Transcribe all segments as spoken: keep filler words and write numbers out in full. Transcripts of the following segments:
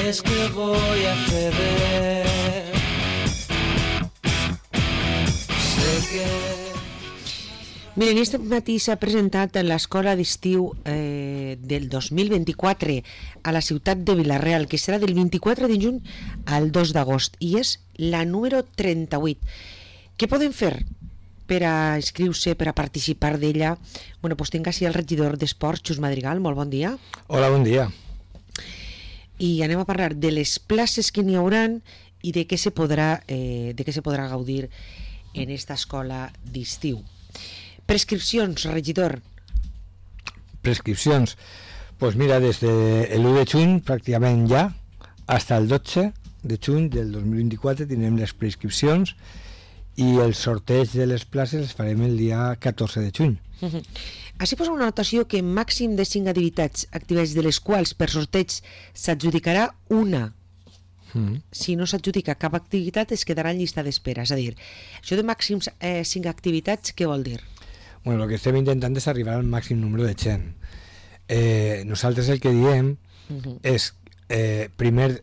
es que voy a ceder. Sé que... Miren, aquest matí s'ha presentat en l'escola d'estiu eh, del dos mil vint-i-quatre a la ciutat de Vila-real, que serà del vint-i-quatre de juny al dos d'agost, i és la número trenta-vuit. Què poden fer per a inscriure-se, per a participar d'ella? Bueno, doncs tinc així el regidor d'Esports, Xus Madrigal, molt bon dia. Hola, bon dia. I anem a parlar de les places que n'hi hauran i de què se podrà, eh, de què se podrà gaudir en esta escola d'estiu. Prescripcions, regidor. Prescripcions. Pues mira, desde el u de juny pràcticament ja, hasta el dotze de juny del dos mil vint-i-quatre tindrem les prescripcions i el sorteig de les places les farem el dia catorze de juny. Uh-huh. Així posa una anotació que màxim de cinc activitats, activitats de les quals per sorteig s'adjudicarà una. Mm. Si no s'adjudica cap activitat es quedarà en llista d'espera. És a dir, això de màxims eh, cinc activitats, què vol dir? Bueno, el que estem intentant és arribar al màxim número de gent. Eh, nosaltres el que diem uh-huh. és eh, primer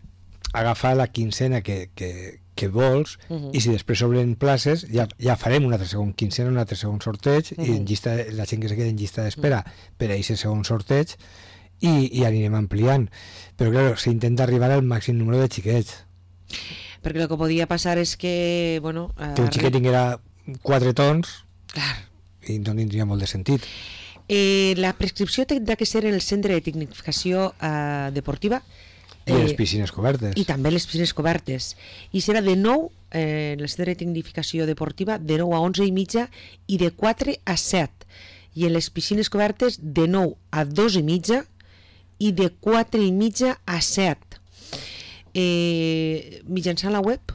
agafar la quincena que, que, que vols uh-huh. i si després s'obren places ja, ja farem una altra segon quincena, un altre segon sorteig uh-huh. i en llista, la gent que se queda en llista d'espera uh-huh. per a aquest segon sorteig i, i anirem ampliant. Però clar, s'intenta arribar al màxim número de xiquets. Perquè el que podia passar és que... Bueno, que un xiquet tinguera quatre tons... Clar. I no tindria molt de sentit. Eh, la prescripció tindrà que ser en el centre de tecnificació eh, deportiva i eh, les piscines cobertes i també les piscines cobertes, i serà de nou eh, en el centre de tecnificació deportiva de nou a onze i mitja i de quatre a set, i en les piscines cobertes de nou a dos i mitja i de quatre i mitja a set. Eh, mitjançant la web?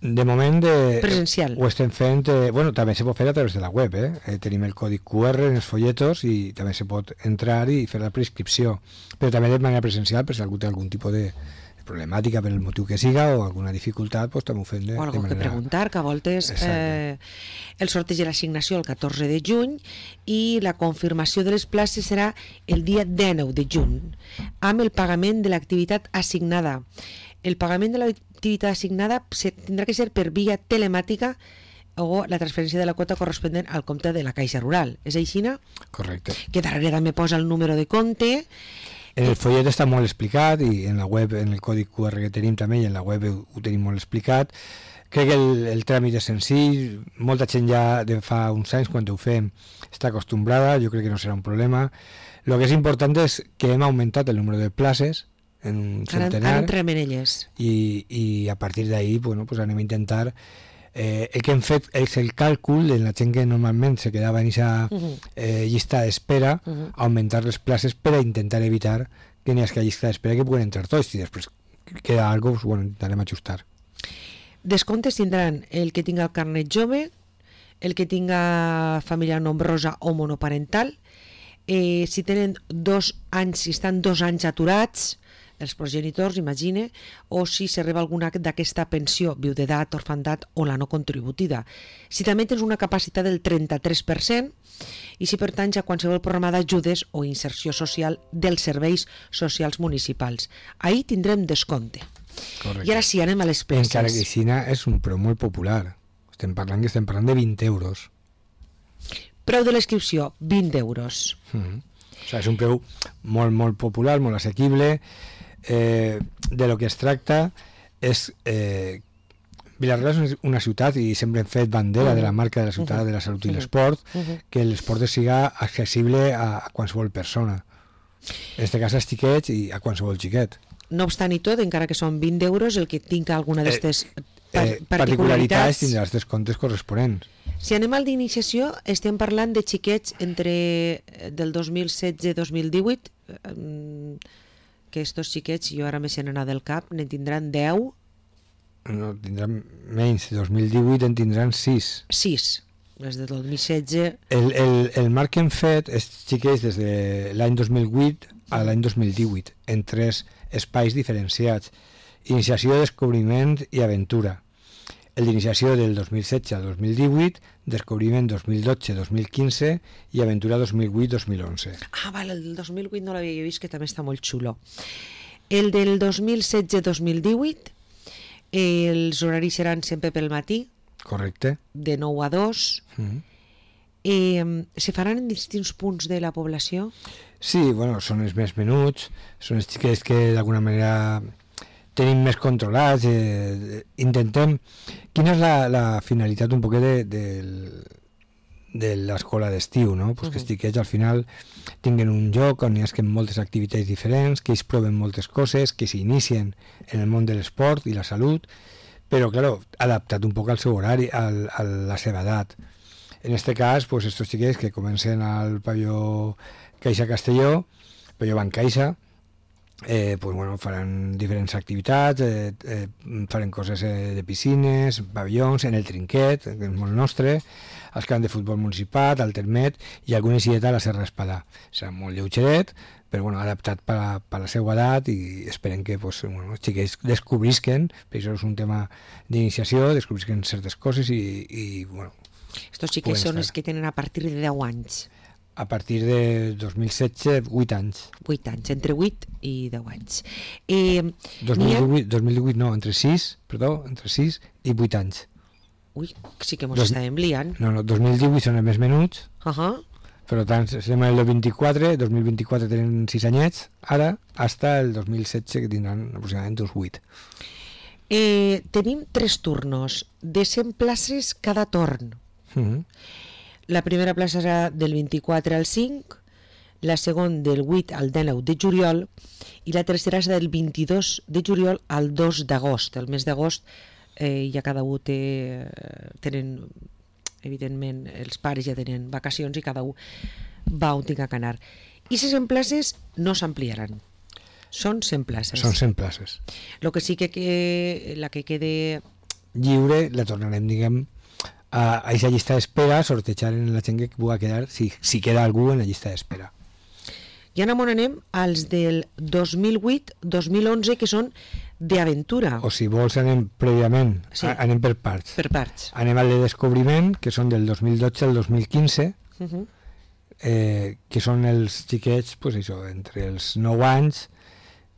De moment de, presencial. Ho estem fent, eh, bueno, també se pot fer a través de la web, eh? Eh, tenim el codi cu erre en els folletos i també se pot entrar i fer la prescripció, però també de manera presencial, per si algú té algun tipus de problemàtica per el motiu que siga o alguna dificultat, pues, també ho fem de, o algo de manera... que preguntar, que a voltes eh, el sorteig de l'assignació el catorze de juny i la confirmació de les places serà el dia dinou de juny amb el pagament de l'activitat assignada. El pagament de l'activitat assignada tindrà que ser per via telemàtica o la transferència de la quota corresponent al compte de la Caixa Rural. És així, no? Correcte. Que darrere també posa el número de compte. En el follet està molt explicat i en la web, en el codi cu erre que tenim també i en la web ho, ho tenim molt explicat. Crec que el, el tràmit és senzill, molta gent ja de fa uns anys quan ho fem està acostumbrada, jo crec que no serà un problema. El que és important és que hem augmentat el número de places en un centenar, ara entrem en elles. I, i a partir d'ahí bueno, pues anem a intentar eh, el que hem fet és el càlcul de la gent que normalment se quedava en aquesta uh-huh. eh, llista d'espera, uh-huh. augmentar les places per a intentar evitar que n'hi hagi llista d'espera que puguen entrar tots i després queda algo, pues, bueno, intentarem ajustar. Descomptes tindran el que tinga el carnet jove, el que tinga família nombrosa o monoparental, eh, si tenen dos anys, si estan dos anys aturats els progenitors, imagine, o si s'arriba alguna d'aquesta pensió, viudetat, orfandat o la no contributiva. Si també tens una capacitat del trenta-tres per cent i si pertanys a qualsevol programa d'ajudes o inserció social dels serveis socials municipals. Ahí tindrem descompte. Correcte. I ara sí, anem a les places. Encara que Xina és un preu molt popular. Estem parlant que estem parlant de vint euros. Preu de l'inscripció, vint euros. Mm-hmm. O sigui, és un preu molt, molt popular, molt assequible. Eh, de lo que es tracta és eh, Vila-real és una ciutat i sempre hem fet bandera uh-huh. de la marca de la ciutat uh-huh. de la salut i l'esport, uh-huh. que l'esport siga accessible a, a qualsevol persona, en este cas als xiquets i a qualsevol xiquet. No obstant i tot, encara que són vint euros, el que tinga alguna d'aquestes eh, par eh, particularitats, particularitats tindrà els descomptes corresponents. Si anem al d'iniciació, estem parlant de xiquets entre del dos mil setze dos mil divuit, eh, que estos xiquets, jo ara me se n'anà del cap, ne tindran deu? No, tindran menys, dos mil divuit en tindran sis. sis, des de dos mil setze. El, el, el marc que hem fet és xiquets des de l'any dos mil vuit a l'any dos mil divuit, en tres espais diferenciats: iniciació, descobriment i aventura. El d'iniciació del dos mil setze al dos mil divuit, descobriment dos mil dotze dos mil quinze i aventura dos mil vuit dos mil onze. Ah, vale, el del dos mil vuit no l'havia vist, que també està molt xulo. El del dos mil setze dos mil divuit, els horaris seran sempre pel matí, Correcte. de nou a dos. Mm. Eh, se faran en distints punts de la població? Sí, bueno, són els més menuts, són els xiquets que d'alguna manera tenim més controlats, eh, intentem... Quina és la, la finalitat un poquet de, de, de l'escola d'estiu, no? Pues uh -huh. Que els xiquets al final tinguen un lloc on hi ha moltes activitats diferents, que ells proven moltes coses, que s'inicien en el món de l'esport i la salut, però, claro, adaptat un poc al seu horari, al, a la seva edat. En este cas, pues estos xiquets que comencen al pavelló Caixa Castelló, pavelló Banc Caixa, eh, pues bueno, faran diferents activitats, eh, eh, faran coses eh, de piscines, pavellons, en el Trinquet, que és molt nostre, als camps de futbol municipal, al Termet, i alguna isideta a la Serra Espadà. Serà molt lleugeret, però bueno, adaptat per a, per a la seva edat, i esperem que pues, bueno, els xiquets descobrisquen, per això és un tema d'iniciació, descobrisquen certes coses i, i bueno, Estos xiquets són els que tenen a partir de deu anys. A partir de dos mil setze, vuit anys. vuit anys, entre vuit i deu anys. Eh, dos mil divuit, dos mil divuit no, entre sis, perdó, entre sis i vuit anys. Ui, sí que mos Dos- estàvem liant. No, no, dos mil divuit són els més menuts, Uh -huh. per tant, estem en el vint-i-quatre, dos mil vint-i-quatre tenen sis anyets, ara, hasta el dos mil setze, que tindran aproximadament uns vuit. Eh, tenim tres turnos de cent places cada torn. Mm -hmm. La primera plaça serà del vint-i-quatre al cinc, la segona del vuit al dinou de juliol i la tercera serà del vint-i-dos de juliol al dos d'agost. El mes d'agost eh, ja cada un té, tenen, evidentment, els pares ja tenen vacacions i cada un va on tinga que anar. I les cent places no s'ampliaran. Són cent places. Són cent places. El que sí que, que la que quede... Lliure la tornarem, diguem, a, a aquesta llista d'espera, sortejar en la gent que pugui quedar, si, si queda algú en la llista d'espera. I ara anem als del dos mil vuit dos mil onze, que són d'aventura. O si vols anem prèviament, Sí. a- anem per parts. Per parts. Anem al de descobriment, que són del dos mil dotze al dos mil quinze, Uh -huh. eh, que són els xiquets, pues això, entre els nou anys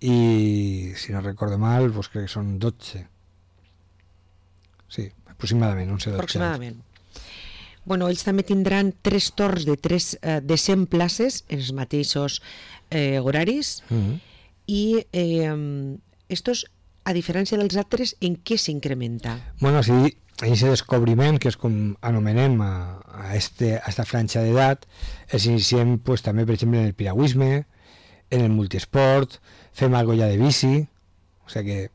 i, si no recordo mal, pues crec que són dotze. Sí, aproximadament, onze dotze Aproximadament. Bueno, ells també tindran tres torns de, tres, eh, de cent places en els mateixos eh, horaris anys. Mm -hmm. i eh, estos, a diferència dels altres, en què s'incrementa? Bueno, sí, aquest descobriment, que és com anomenem a, a, este, a esta franja d'edat, els iniciem pues, també, per exemple, en el piragüisme, en el multiesport, fem algo ja de bici, o sigui que,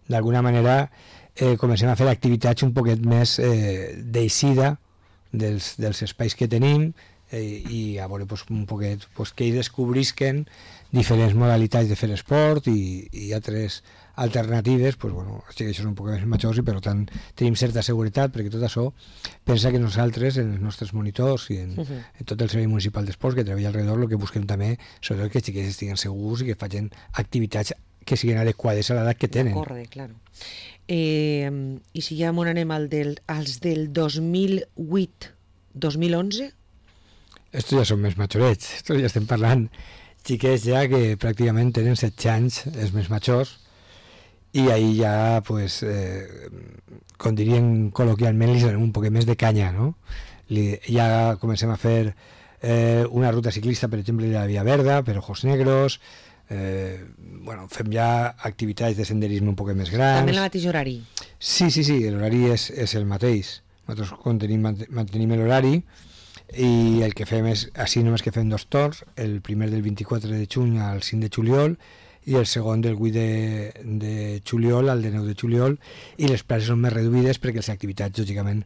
d'alguna manera, eh, comencem a fer activitats un poquet més eh, d'eixida dels, dels espais que tenim eh, i a veure pues, un poquet pues, que ells descobrisquen diferents modalitats de fer esport i, i altres alternatives, pues, bueno, sí que això són un poc més majors i per tant tenim certa seguretat, perquè tot això pensa que nosaltres, en els nostres monitors i en, uh -huh. en tot el servei municipal d'esports que treballa alrededor, el que busquem també sobretot que els xiquets estiguen segurs i que facin activitats que siguin adequades a l'edat que tenen. D'acorde, claro. Eh, I si ja m'on anem al del, als del dos mil vuit dos mil onze? Estos ja són més majorets, estos ja estem parlant xiquets ja que pràcticament tenen setze anys, els més majors, i ahí ja, pues, eh, com dirien col·loquialment, li donem un poc més de canya, no? Li, ja comencem a fer eh, una ruta ciclista, per exemple, de la Via Verda, per Ojos Negros, eh, bueno, fem ja activitats de senderisme un poc més grans. També en el mateix horari? Sí, sí, sí, l'horari és, és el mateix. Nosaltres contenim, mantenim l'horari i el que fem és, així només que fem dos torns, el primer del vint-i-quatre de juny al cinc de juliol i el segon del vuit de, de juliol al dinou de juliol, i les places són més reduïdes perquè les activitats, lògicament,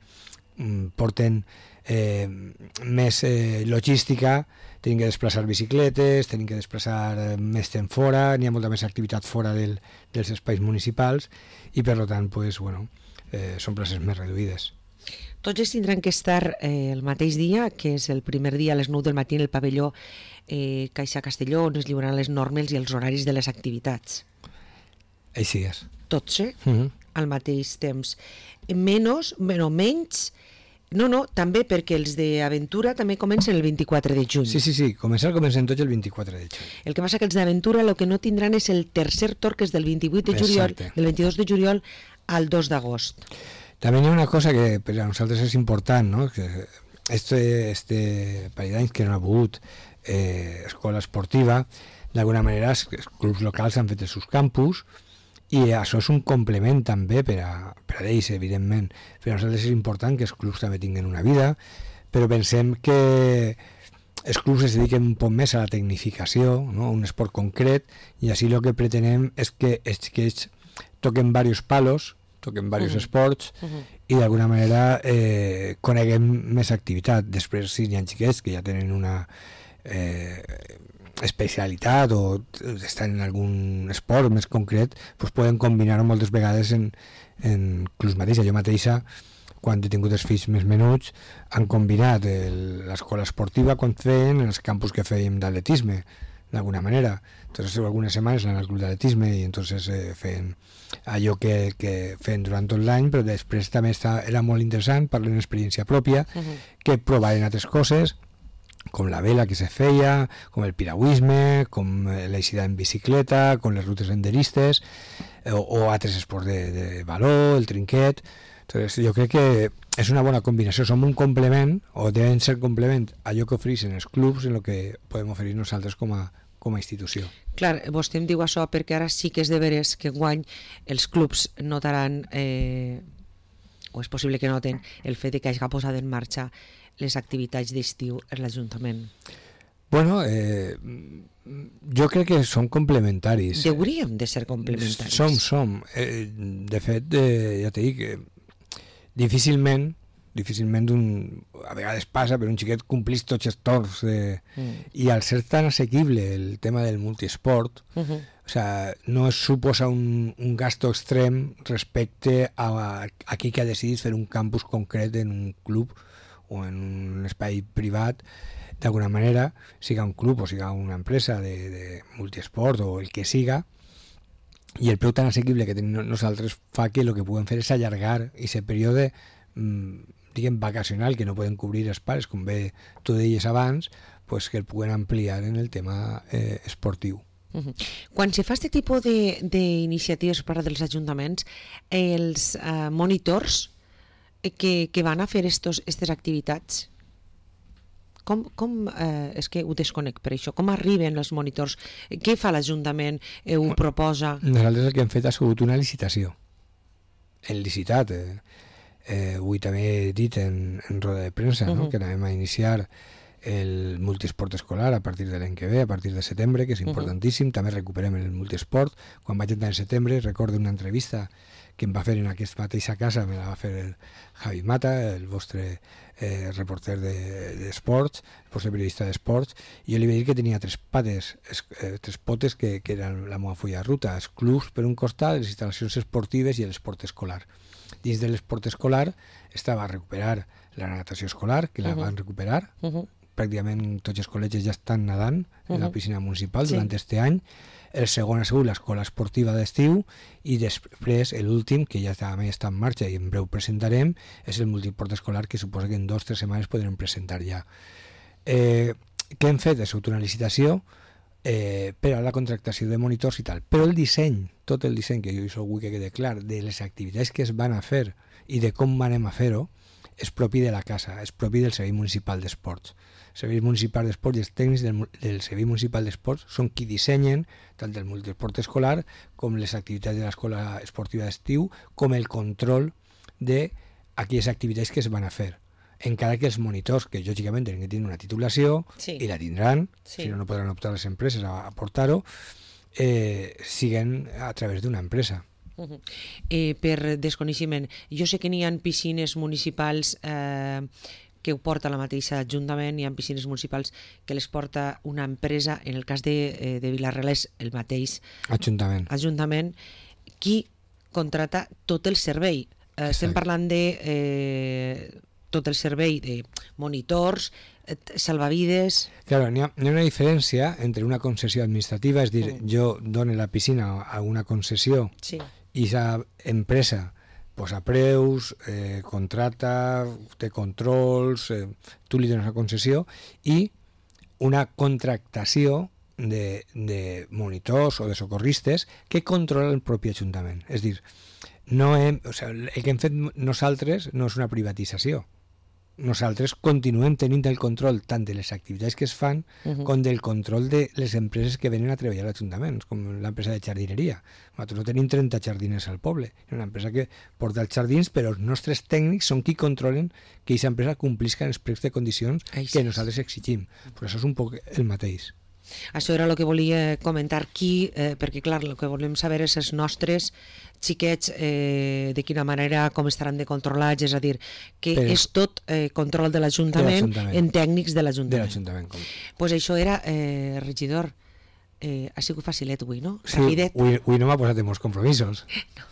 porten eh, més eh, logística, tenim que desplaçar bicicletes, tenim que desplaçar eh, més temps fora, n'hi ha molta més activitat fora del, dels espais municipals i per tant, pues, bueno, eh, són places més reduïdes. Tots ells tindran que estar eh, el mateix dia, que és el primer dia a les nou del matí en el pavelló eh, Caixa Castelló, on es lliuran les normes i els horaris de les activitats. Així és. Tots, eh? Uh -huh. Al mateix temps. Menos, bueno, menys No, no, també perquè els d'Aventura també comencen el vint-i-quatre de juny. Sí, sí, sí, començar comencen tots el vint-i-quatre de juny. El que passa que els d'Aventura el que no tindran és el tercer torn, que és del vint-i-vuit de juliol, Exacte. del veintidós de juliol al dos d'agost. També hi ha una cosa que per a nosaltres és important, no? Que este, este parell d'anys que no ha hagut eh, escola esportiva, d'alguna manera els clubs locals han fet els seus campus i això és un complement també per a, per a ells, evidentment. Per a nosaltres és important que els clubs també tinguin una vida, però pensem que els clubs es dediquen un poc més a la tecnificació, no? A un esport concret, i així el que pretenem és que, és que ells toquen diversos palos, toquen diversos uh-huh. esports, uh-huh. i d'alguna manera eh, coneguem més activitat. Després, si hi ha xiquets que ja tenen una eh, especialitat o estan en algun esport més concret, doncs poden combinar-ho moltes vegades en, en clubs mateixa. Jo mateixa, quan he tingut els fills més menuts, han combinat el, l'escola esportiva quan feien els campus que fèiem d'atletisme, d'alguna manera. Entonces, algunes setmanes anant al club d'atletisme i entonces eh, feien allò que, que feien durant tot l'any, però després també està, era molt interessant, parlant d'experiència pròpia, uh-huh. que provaren altres coses, com la vela que se feia, com el piragüisme, com l'eixida en bicicleta, com les rutes senderistes, o, o altres esports de, de baló, el trinquet. Entonces, jo crec que és una bona combinació, som un complement, o deben ser complement a allò que ofereixen els clubs en el que podem oferir nosaltres com a, com a institució. Clar, vostè em diu això perquè ara sí que és de veres que enguany els clubs notaran, eh, o és possible que noten, el fet de que hagi posat en marxa les activitats d'estiu en l'Ajuntament. Bueno, eh, jo crec que són complementaris. Hauríem de ser complementaris. Som, som. Eh, de fet, eh, ja t'he dit que difícilment, difícilment un, a vegades passa, però un xiquet complís tots els torns. De, mm. I al ser tan assequible el tema del multiesport, uh-huh. o sea, no es suposa un, un gasto extrem respecte a, a aquell que ha decidit fer un campus concret en un club o en un espai privat, d'alguna manera, siga un club o siga una empresa de, de multiesport o el que siga, i el preu tan assequible que tenim nosaltres fa que el que puguem fer és allargar aquest període mmm, diguem vacacional que no poden cobrir els pares, com bé tu deies abans, pues que el puguen ampliar en el tema eh, esportiu. Uh-huh. Quan se fa aquest tipus d'iniciatives per part dels ajuntaments, els uh, monitors que, que van a fer aquestes activitats, com, com eh, és que ho desconec per això, com arriben els monitors, què fa l'Ajuntament, eh, ho proposa? Nosaltres el que hem fet ha sigut una licitació, hem licitat, eh, eh, avui també he dit en, en roda de premsa, uh-huh. no? Que anem a iniciar el multiesport escolar a partir de l'any que ve, a partir de setembre, que és importantíssim. Uh-huh. També recuperem el multiesport. Quan vaig entrar en setembre recordo una entrevista que em va fer en aquesta mateixa casa, me la va fer el Javi Mata, el vostre eh, reporter d'esports, de, el vostre periodista d'esports, i jo li vaig dir que tenia tres pates, es, eh, tres potes que, que eren la meva fulla de ruta, els clubs per un costat, les instal·lacions esportives i l'esport escolar. Dins de l'esport escolar estava a recuperar la natació escolar, que la uh-huh. van recuperar, uh-huh. pràcticament tots els col·legis ja estan nedant uh-huh. en la piscina municipal sí. durant este any. El segon ha sigut l'escola esportiva d'estiu i després l'últim, que ja també està en marxa i en breu presentarem, és el multiport escolar, que suposa que en dues o tres setmanes podrem presentar ja. Eh, què hem fet? És una licitació eh, per a la contractació de monitors i tal, però el disseny, tot el disseny, que jo això vull que quede clar, de les activitats que es van a fer i de com anem a fer-ho, és propi de la casa, és propi del Servei Municipal d'Esports. El Servei Municipal d'Esports i els tècnics del, del Servei Municipal d'Esports són qui dissenyen tant el multiesport escolar com les activitats de l'escola esportiva d'estiu, com el control d'aquelles activitats que es van a fer. Encara que els monitors, que lògicament tenen que tenir una titulació, sí. i la tindran, sí. si no, no podran optar les empreses a aportar-ho, eh, siguen a través d'una empresa. Uh-huh. Eh, per desconeixement, jo sé que n'hi ha piscines municipals eh, que ho porta la mateixa Ajuntament, hi ha piscines municipals que les porta una empresa, en el cas de, eh, de Vila-real és el mateix Ajuntament. Ajuntament, qui contrata tot el servei. Eh, estem parlant de eh, tot el servei de monitors, eh, salvavides... Claro, n'hi ha, hi ha una diferència entre una concessió administrativa, és dir, mm. jo dono la piscina a una concessió sí. i esa empresa posa preus, eh, contrata, té controls, eh, tu li dones la concessió i una contractació de, de monitors o de socorristes que controla el propi Ajuntament. És dir, no hem, o sigui, el que hem fet nosaltres no és una privatització. Nosaltres continuem tenint el control tant de les activitats que es fan uh-huh. com del control de les empreses que venen a treballar a l'Ajuntament, com l'empresa de jardineria. Nosaltres no tenim trenta jardiners al poble, és una empresa que porta els jardins, però els nostres tècnics són qui controlen que aquesta empresa complisca els plecs de condicions Ai, sí. que nosaltres exigim. Però això és un poc el mateix. Això era el que volia comentar aquí, eh, perquè clar, el que volem saber és els nostres xiquets eh, de quina manera, com estaran de controlats, és a dir, que Però, és tot eh, control de l'Ajuntament en tècnics de l'Ajuntament. De l'Ajuntament, com. Pues això era, eh, regidor, eh, ha sigut facilet avui, no? Sí, avui, avui no m'ha posat en molts compromisos. No.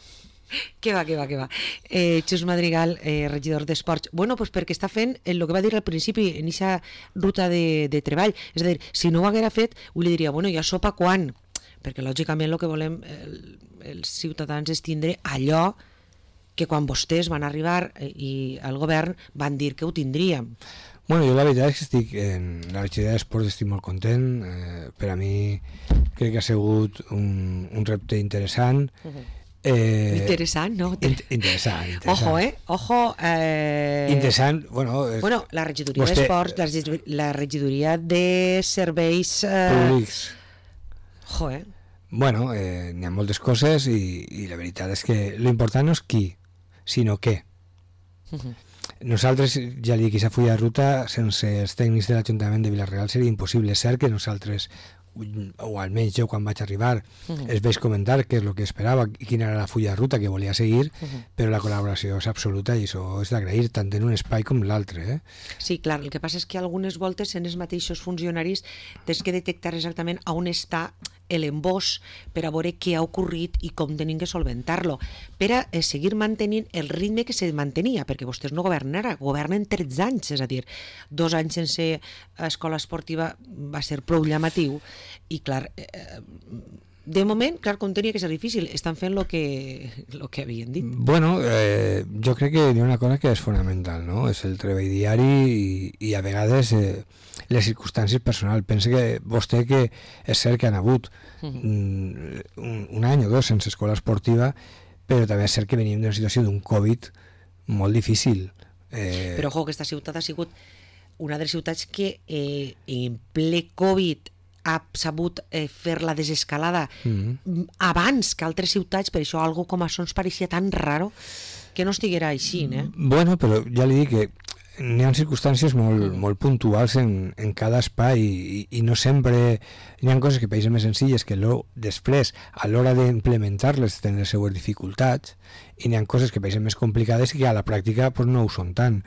Que va, que va, que va. Eh, Xus Madrigal, eh, regidor d'Esports. Bueno, pues perquè està fent el que va dir al principi en aquesta ruta de, de treball. És a dir, si no ho haguera fet, ho li diria, bueno, ja sopa quan? Perquè lògicament el que volem el, els ciutadans és tindre allò que quan vostès van arribar i el govern van dir que ho tindríem. Bueno, jo la veritat és que estic en la regidoria d'Esports, estic molt content. Eh, per a mi crec que ha sigut un, un repte interessant. Uh-huh. Eh, interessant, no? In- interessant, interessant. Ojo, eh? Ojo. Eh... Interessant, bueno... És... Bueno, la regidoria vostè... d'Esports, la, la regidoria de serveis... Eh... Públics. Ojo, eh? Bueno, eh, n'hi ha moltes coses i, i la veritat és que l'important no és qui, sinó què. Uh-huh. Nosaltres, ja li dic, aquesta full de ruta, sense els tècnics de l'Ajuntament de Vila-real seria impossible. És cert que nosaltres, o almenys jo quan vaig arribar, uh-huh. es veig comentar què és el que esperava i quina era la fulla de ruta que volia seguir, uh-huh. però la col·laboració és absoluta i això és d'agrair tant en un espai com l'altre. Eh? Sí, clar, el que passa és que algunes voltes en els mateixos funcionaris tens que detectar exactament on està l'embós per a veure què ha ocorrit i com tenim que solventar-lo, per a eh, seguir mantenint el ritme que se mantenia, perquè vostès no governen ara, governen tretze anys, és a dir, dos anys sense escola esportiva va ser prou llamatiu, i clar, eh, de moment, clar, com tenia que ser difícil, estan fent el que, lo que havien dit. Bueno, eh, jo crec que hi ha una cosa que és fonamental, no? És el treball diari i, i a vegades eh, les circumstàncies personals. Pensa que vostè que és cert que han hagut mm, un, un any o dos sense escola esportiva, però també és cert que venim d'una situació d'un Covid molt difícil. Eh... Però, ojo, aquesta ciutat ha sigut una de les ciutats que eh, en ple Covid ha sabut eh, fer la desescalada mm-hmm. abans que altres ciutats, per això algo com això ens pareixia tan raro que no estiguera així, eh? Bueno, però ja li dic que n'hi ha circumstàncies molt, mm. molt puntuals en, en cada espai i, i no sempre n'hi ha coses que pareixen més senzilles que lo, després, a l'hora d'implementar-les tenen les seues dificultats i n'hi ha coses que pareixen més complicades i que a la pràctica pues, no ho són tant.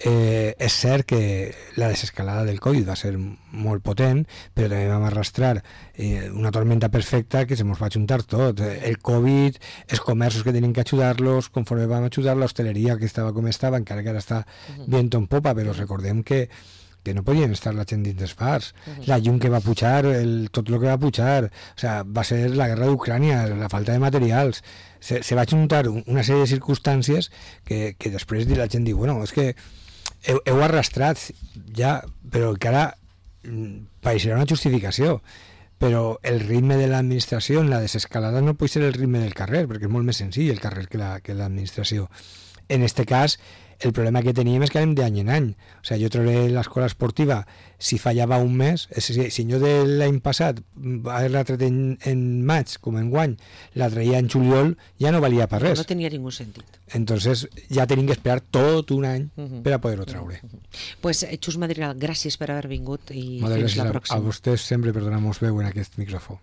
Eh, és cert que la desescalada del Covid va ser molt potent, però també vam arrastrar eh, una tormenta perfecta que se mos va juntar tot, el Covid, els comerços que tenien que ajudar-los, conforme vam ajudar l'hostaleria que estava com estava, encara que ara està viento en popa, però recordem que que no podien estar la gent dins dels bars, uh-huh. la llum que va pujar, el, tot el que va pujar, o sea, va ser la guerra d'Ucrània, la falta de materials, se, se va juntar una sèrie de circumstàncies que, que després la gent diu, bueno, és que heu, heu arrastrat ja, però que ara pareixerà una justificació, però el ritme de l'administració en la desescalada no pot ser el ritme del carrer, perquè és molt més senzill el carrer que, la, que l'administració. En este cas, el problema que teníem és que anem d'any en any. O sigui, jo trobaré l'escola esportiva, si fallava un mes, si, si jo de l'any passat haver-la tret en, en maig, com en guany, la traia en juliol, ja no valia per res. No tenia ningú sentit. Entonces ja tenim que esperar tot un any uh-huh. per a poder-ho traure. Uh-huh. Pues, Xus Madrigal, gràcies per haver vingut i Moltes fins la pròxima. A, a vostès sempre per donar-nos veu en aquest micròfon.